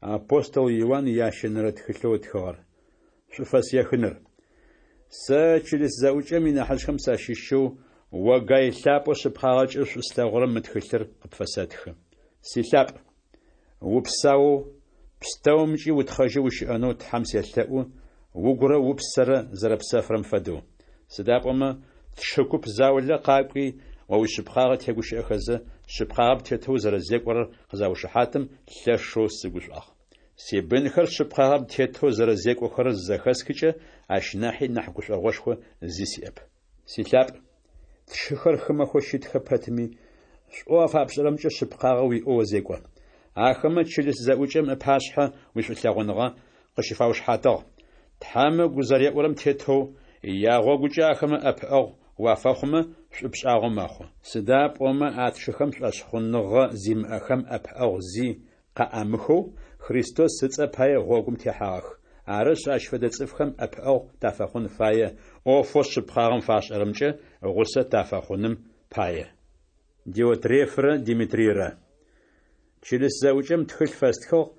Апостол Иуан ящэнэрэ тхылъэу ытхыгъэр. Шӏуфэс ехыныр. Сэ, чылыс зэӏукӏэм инахьыжъхэм сащыщэу, о Гай лъапӏэу шъыпкъагъэкӏэ шӏу слъэгъурэм мы тхылъыр къыпфэсэтхы. Силъапӏ, упсаоу, пстэумкӏи утхъэжьэу ущыӏэнэу Тхьэм селъэӏу, угурэ упсэрэ зэрэпсэфырэм фэдэу. Сыда пӏомэ тшы куп заулэ къакӏуи, о уишъыпкъагъэ тегущыӏэхэзэ, шъыпкъагъэм тетэу узэрэзекӏорэр къызаушыхьатым, лъэшэу сыгушӏуагъ. Сибынхэр шъыпкъагъэм тетэу зэрэзекӏохэрэр зызэхэсхыкӏэ, ащ нахьи нахь гушӏогъошхо зи сиӏэп. Силъапӏ, тшыхэр хымэхэу щытхэ пэтми, шӏоу афапшӏэрэмкӏэ шъыпкъагъэ уиӏэу озекӏо. Ахэмэ чылыс зэӏукӏэм ыпашъхьэ уишӏулъэгъуныгъэ къыщыфаушыхьатыгъ. Тхьэм ыгу зэреӏурэм тетэу, ягъогукӏэ ахэмэ ӏэпыӏэгъу уафэхъумэ, шӏу пшӏагъэу мэхъу. Сыда пӏомэ а тшыхэм шӏошъхъуныгъэ зимыӏэхэм ӏэпыӏэгъу зи къаӏамыхэу, Христос ыцӏэ пае гъогум техьагъэх. Арышъ, ащ фэдэ цӏыфхэм ӏэпыӏэгъу тафэхъун фае, ӏофэу шъыпкъагъэм фашӏэрэмкӏэ гъусэ тафэхъуным пае. Диотрефрэ Димитрийрэ. Чылыс зэӏукӏэм тхылъ фэстхыгъ,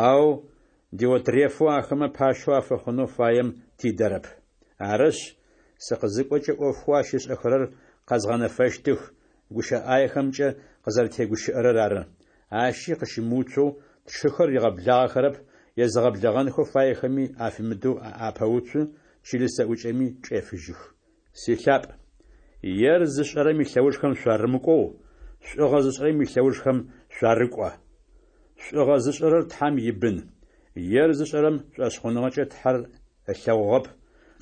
ау Диотрефэу ахэмэ пащэу афэхъунэу фаем тидэрэп. Арышъ, сыкъызыкӏокӏэ ӏофхэу ащ ышӏэхэрэр къэзгъэнэфэщтых, гущыӏэ ӏаехэмкӏэ къызэрэтегущыӏэрэр ары. Ащи къыщымыуцоу, тшыхэр ригъэблагъэхэрэп, езыгъэблэгъэнхэу фаехэми афимыдэу апэуцу, чылыс зэӏукӏэми чӏефыжьых. Силъапӏ, ер зышӏэрэм илъэужхэм шъуарымыкӏоу, шӏугъэ зышӏэрэм илъэужхэм шъуарыкӏо. Шӏугъэ зышӏэрэр Тхьэм ибын. Ер зышӏэрэм шӏошъхъуныгъэкӏэ Тхьэр ылъэгъугъэп.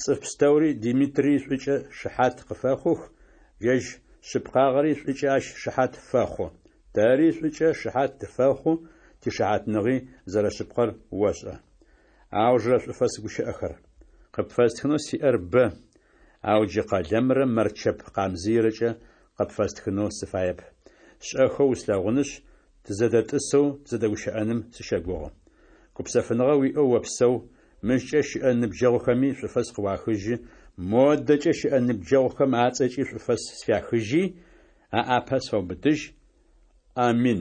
Цӏыф пстэури Димитрий шӏукӏэ шыхьат къыфэхъух, ежь шъыпкъагъэри шӏукӏэ ащ шыхьат фэхъу. Тэри шӏукӏэ шыхьат тыфэхъу, тишыхьатныгъи зэрэшъыпкъэр ошӏэ. Аужырэ шӏуфэс гущыӏэхэр. Къыпфэстхынэу сиӏэр бэ, ау джы къэлэмрэ мэрчэп къамзыйрэкӏэ къыпфэстхынэу сыфаеп. Шӏэхэу услъэгъунышъ, тызэдэтӏысэу тызэдэгущыӏэным сыщэгугъы. Гупсэфыныгъэ уиӏэу опсэу, мыщкӏэ щыӏэ ныбджэгъухэми шӏуфэс къыуахыжьы, модэкӏэ щыӏэ ныбджэгъухэм ацӏэкӏи шӏуфэс сфяхыжьи, аӏапэ сфэубытыжь. Амин.